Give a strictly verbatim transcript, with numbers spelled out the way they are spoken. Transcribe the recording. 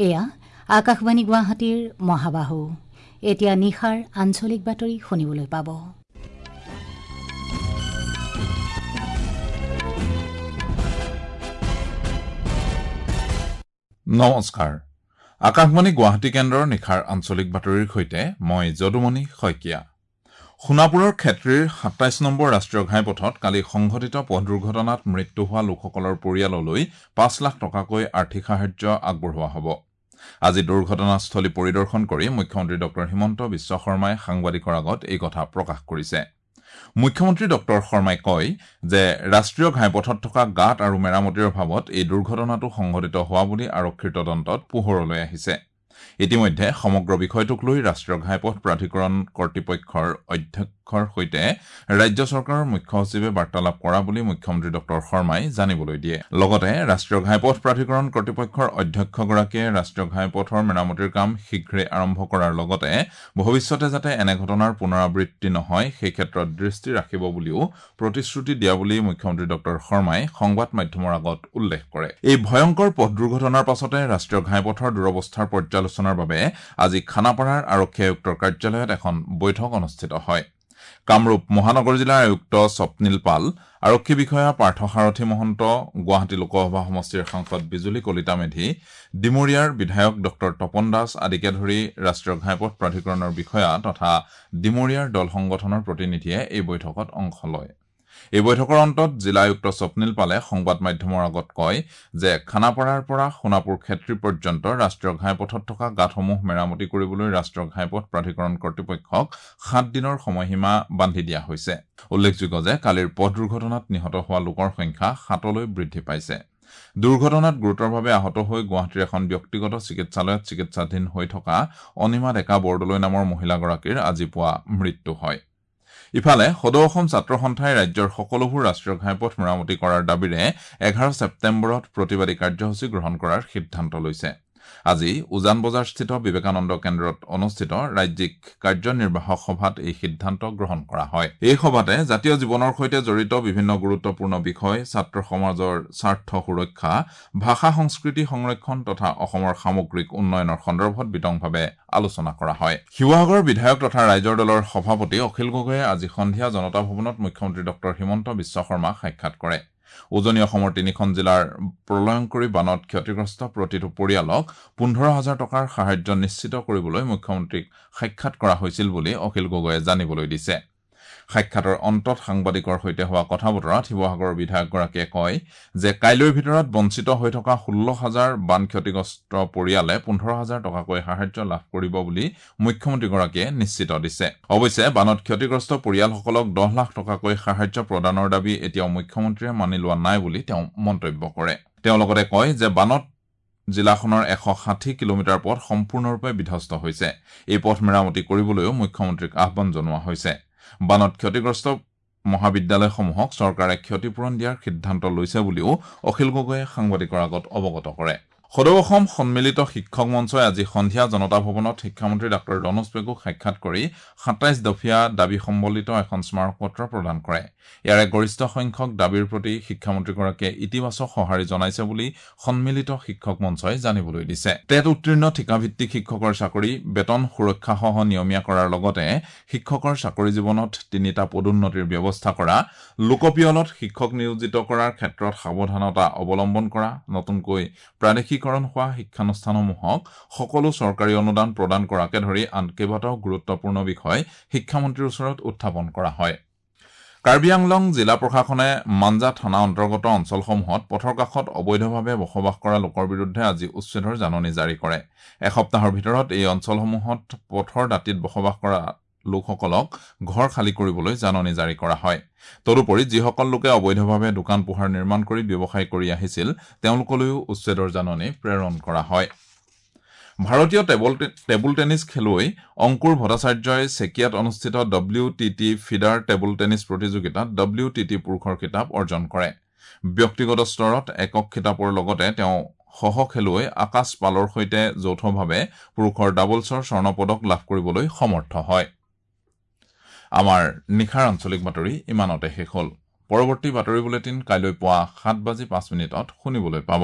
এয়া আকাশবাণী গুৱাহাটীৰ মহাবাহু। এতিয়া নিশাৰ আঞ্চলিক বাতৰি শুনিবলৈ পাব। নমস্কাৰ, আকাশবাণী গুৱাহাটী কেন্দ্ৰৰ নিশাৰ আঞ্চলিক বাতৰিৰ সৈতে মই যদুমণি শইকীয়া। সোণাপুৰৰ ক্ষেত্ৰীৰ সাতাইছ নম্বৰ ৰাষ্ট্ৰীয় ঘাইপথত কালি সংঘটিত পথ দুৰ্ঘটনাত মৃত্যু হোৱা লোকসকলৰ পৰিয়াললৈ পাঁচ লাখ টকাকৈ আৰ্থিক সাহায্য আগবঢ়োৱা হ'ব। আজি দুৰ্ঘটনাস্থলী পৰিদৰ্শন কৰি মুখ্যমন্ত্ৰী ডক্টৰ হিমন্ত বিশ্ব শৰ্মাই সাংবাদিকৰ আগত এই কথা প্ৰকাশ কৰিছে। মুখ্যমন্ত্ৰী ডক্টৰ শৰ্মাই কয় যে ৰাষ্ট্ৰীয় ঘাইপথত থকা গাঁত আৰু মেৰামতিৰ অভাৱত এই দুৰ্ঘটনাটো সংঘটিত হোৱা বুলি আৰক্ষীৰ তদন্তত পোহৰলৈ আহিছে। ইতিমধ্যে সমগ্ৰ বিষয়টোক লৈ ৰাষ্ট্ৰীয় ঘাইপথ প্ৰাধিকৰণ কৰ্তৃপক্ষৰ অধ্যক্ষৰ সৈতে ৰাজ্য চৰকাৰৰ মুখ্য সচিবে বাৰ্তালাপ কৰা বুলি মুখ্যমন্ত্ৰী ডক্টৰ শৰ্মাই জানিবলৈ দিয়ে। লগতে ৰাষ্ট্ৰীয় ঘাইপথ প্ৰাধিকৰণ কৰ্তৃপক্ষৰ অধ্যক্ষগৰাকীয়ে ৰাষ্ট্ৰীয় ঘাইপথৰ মেৰামতিৰ কাম শীঘ্ৰে আৰম্ভ কৰাৰ লগতে ভৱিষ্যতে যাতে এনে ঘটনাৰ পুনৰাবৃত্তি নহয় সেই ক্ষেত্ৰত দৃষ্টি ৰাখিব বুলিও প্ৰতিশ্ৰুতি দিয়া বুলি মুখ্যমন্ত্ৰী ডক্টৰ শৰ্মাই সংবাদ মাধ্যমৰ আগত উল্লেখ কৰে। এই ভয়ংকৰ পথ দুৰ্ঘটনাৰ পাছতে ৰাষ্ট্ৰীয় ঘাইপথৰ দুৰৱস্থাৰ পৰ্যালোচনাৰ বাবে আজি খানাপাৰাৰ আৰক্ষী আয়ুক্তৰ কাৰ্যালয়ত এখন বৈঠক অনুষ্ঠিত হয়। কামৰূপ মহানগৰ জিলাৰ আয়ুক্ত স্বপ্নীল পাল, আৰক্ষী বিষয়া পাৰ্থসাৰথি মহন্ত, গুৱাহাটী লোকসভা সমষ্টিৰ সাংসদ বিজুলী কলিতা মেধি, ডিমৰীয়াৰ বিধায়ক ডক্টৰ তপন দাস আদিকে ধৰি ৰাষ্ট্ৰীয় ঘাইপথ প্ৰাধিকৰণৰ বিষয়া তথা ডিমৰীয়াৰ দল সংগঠনৰ প্ৰতিনিধিয়ে এই বৈঠকত অংশ লয়। এই বৈঠকৰ অন্তত জিলা আয়ুক্ত স্বপ্নীল পালে সংবাদ মাধ্যমৰ আগত কয় যে খানাপাৰাৰ পৰা সোণাপুৰ ক্ষেত্ৰী পৰ্যন্ত ৰাষ্ট্ৰীয় ঘাইপথত থকা গাঁতসমূহ মেৰামতি কৰিবলৈ ৰাষ্ট্ৰীয় ঘাইপথ প্ৰাধিকৰণ কৰ্তৃপক্ষক সাত দিনৰ সময়সীমা বান্ধি দিয়া হৈছে। উল্লেখযোগ্য যে কালিৰ পথ দুৰ্ঘটনাত নিহত হোৱা লোকৰ সংখ্যা সাতলৈ বৃদ্ধি পাইছে। দুৰ্ঘটনাত গুৰুতৰভাৱে আহত হৈ গুৱাহাটীৰ এখন ব্যক্তিগত চিকিৎসালয়ত চিকিৎসাধীন হৈ থকা অনিমা ডেকা বৰদলৈ নামৰ মহিলাগৰাকীৰ আজি পুৱা মৃত্যু হয়। ইফালে সদৌ অসম ছাত্ৰ সন্থাই ৰাজ্যৰ সকলোবোৰ ৰাষ্ট্ৰীয় ঘাইপথ মেৰামতি কৰাৰ দাবীৰে এঘাৰ ছেপ্টেম্বৰত প্ৰতিবাদী কাৰ্যসূচী গ্ৰহণ কৰাৰ সিদ্ধান্ত লৈছে। আজি উজান বজাৰস্থিত বিবেকানন্দ কেন্দ্ৰত অনুষ্ঠিত ৰাজ্যিক কাৰ্যনিৰ্বাহক সভাত এই সিদ্ধান্ত গ্ৰহণ কৰা হয়। এই সভাতে জাতীয় জীৱনৰ সৈতে জড়িত বিভিন্ন গুৰুত্বপূৰ্ণ বিষয়, ছাত্ৰ সমাজৰ স্বাৰ্থ সুৰক্ষা, ভাষা সংস্কৃতি সংৰক্ষণ তথা অসমৰ সামগ্ৰিক উন্নয়নৰ সন্দৰ্ভত বিতংভাৱে আলোচনা কৰা হয়। শিৱসাগৰৰ বিধায়ক তথা ৰাইজৰ দলৰ সভাপতি অখিল গগৈয়ে আজি সন্ধিয়া জনতা ভৱনত মুখ্যমন্ত্ৰী ডক্টৰ হিমন্ত বিশ্ব শৰ্মাক সাক্ষাৎ কৰে। উজনি অসমৰ তিনিখন জিলাৰ প্ৰলয়ংকৰী বানত ক্ষতিগ্ৰস্ত প্ৰতিটো পৰিয়ালক পোন্ধৰ হাজাৰ টকাৰ সাহায্য নিশ্চিত কৰিবলৈ মুখ্যমন্ত্ৰীক সাক্ষাৎ কৰা হৈছিল বুলি অখিল গগৈয়ে জানিবলৈ দিছে। সাক্ষাতৰ অন্তত সাংবাদিকৰ সৈতে হোৱা কথা বতৰাত শিৱসাগৰৰ বিধায়কগৰাকীয়ে কয় যে কাইলৈৰ ভিতৰত বঞ্চিত হৈ থকা ষোল্ল হাজাৰ বান ক্ষতিগ্ৰস্ত পৰিয়ালে পোন্ধৰ হাজাৰ টকাকৈ সাহায্য লাভ কৰিব বুলি মুখ্যমন্ত্ৰীগৰাকীয়ে নিশ্চিত দিছে। অৱশ্যে বানত ক্ষতিগ্ৰস্ত পৰিয়ালসকলক দহ লাখ টকাকৈ সাহায্য প্ৰদানৰ দাবী এতিয়াও মুখ্যমন্ত্ৰীয়ে মানি লোৱা নাই বুলি তেওঁ মন্তব্য কৰে। তেওঁ লগতে কয় যে বানত জিলাখনৰ এশ ষাঠি কিলোমিটাৰ পথ সম্পূৰ্ণৰূপে বিধ্বস্ত হৈছে। এই পথ মেৰামতি কৰিবলৈও মুখ্যমন্ত্ৰীক আহ্বান জনোৱা হৈছে। বানত ক্ষতিগ্ৰস্ত মহাবিদ্যালয়সমূহক চৰকাৰে ক্ষতিপূৰণ দিয়াৰ সিদ্ধান্ত লৈছে বুলিও অখিল গগৈয়ে সাংবাদিকৰ আগত অৱগত কৰে। সদৌ অসম সন্মিলিত শিক্ষক মঞ্চই আজি সন্ধিয়া জনতা ভৱনত শিক্ষামন্ত্ৰী ডাক্তৰ ৰণোজ পেগুক সাক্ষাৎ কৰি সাতাইছ দফীয়া দাবী সম্বলিত এখন স্মাৰকপত্ৰ প্ৰদান কৰে। ইয়াৰে গৰিষ্ঠ সংখ্যক দাবীৰ প্ৰতি শিক্ষামন্ত্ৰীগৰাকীয়ে ইতিবাচক সঁহাৰি জনাইছে বুলি সন্মিলিত শিক্ষক মঞ্চই জানিবলৈ দিছে। টেট উত্তীৰ্ণ ঠিকাভিত্তিক শিক্ষকৰ চাকৰি বেতন সুৰক্ষাসহ নিয়মীয়া কৰাৰ লগতে শিক্ষকৰ চাকৰি জীৱনত তিনিটা পদোন্নতিৰ ব্যৱস্থা কৰা, লোকপিয়লত শিক্ষক নিয়োজিত কৰাৰ ক্ষেত্ৰত সাৱধানতা অৱলম্বন কৰা, নতুনকৈ প্ৰাদেশিক হোৱা শিক্ষানুষ্ঠানসমূহক সকলো চৰকাৰী অনুদান প্ৰদান কৰাকে ধৰি আন কেইবাটাও গুৰুত্বপূৰ্ণ বিষয় শিক্ষামন্ত্ৰীৰ ওচৰত উত্থাপন কৰা হয়। কাৰ্বি আংলং জিলা প্ৰশাসনে মাঞ্জা থানা অন্তৰ্গত অঞ্চলসমূহত পথৰ কাষত অবৈধভাৱে বসবাস কৰা লোকৰ বিৰুদ্ধে আজি উচ্ছেদৰ জাননী জাৰি কৰে। এসপ্তাহৰ ভিতৰত এই অঞ্চলসমূহত পথৰ দাঁতিত বসবাস কৰা লোকসকলক ঘৰ খালী কৰিবলৈ জাননী জাৰি কৰা হয়। তদুপৰি যিসকল লোকে অবৈধভাৱে দোকান পোহাৰ নিৰ্মাণ কৰি ব্যৱসায় কৰি আহিছিল তেওঁলোকলৈও উচ্ছেদৰ জাননী প্ৰেৰণ কৰা হয়। ভাৰতীয় টেবুল টেবুল টেনিছ খেলুৱৈ অংকুৰ ভট্টাচাৰ্যই চেকিয়াত অনুষ্ঠিত W T T feeder table tennis প্ৰতিযোগিতাত ডব্লিউ টি টি পুৰুষৰ খিতাপ অৰ্জন কৰে। ব্যক্তিগত স্তৰত একক খিতাপৰ লগতে তেওঁ সহ খেলুৱৈ আকাশ পালৰ সৈতে যৌথভাৱে পুৰুষৰ ডাবলছৰ স্বৰ্ণ পদক লাভ কৰিবলৈ সমৰ্থ হয়। আমাৰ নিশাৰ আঞ্চলিক বাতৰি ইমানতে শেষ হ'ল। পৰৱৰ্তী বাতৰি বুলেটিন কাইলৈ পুৱা সাত বাজি পাঁচ মিনিটত শুনিবলৈ পাব।